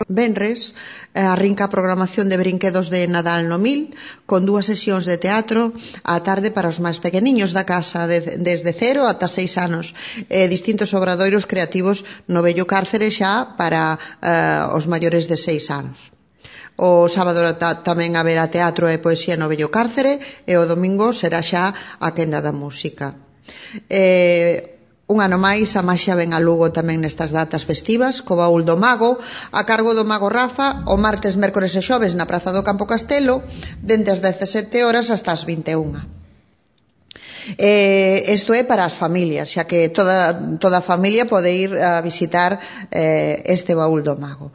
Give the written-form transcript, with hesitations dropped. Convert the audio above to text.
Venres arrinca a programación de brinquedos de Nadal no Mil, con 2 sesións de teatro á tarde para os máis pequeniños da casa, desde 0 ata 6 anos, distintos obradoiros creativos no vello Cárcere xa para os maiores de 6 anos. O sábado tamén haberá teatro e poesía no vello Cárcere, e o domingo será xa a quenda da música. Un ano máis, a maxia ven a Lugo tamén nestas datas festivas, co baúl do mago, a cargo do mago Rafa, o martes, mércores e xoves na Praza do Campo Castelo, dende as 17 horas hasta as 21. Isto é para as familias, xa que toda a familia pode ir a visitar este baúl do mago.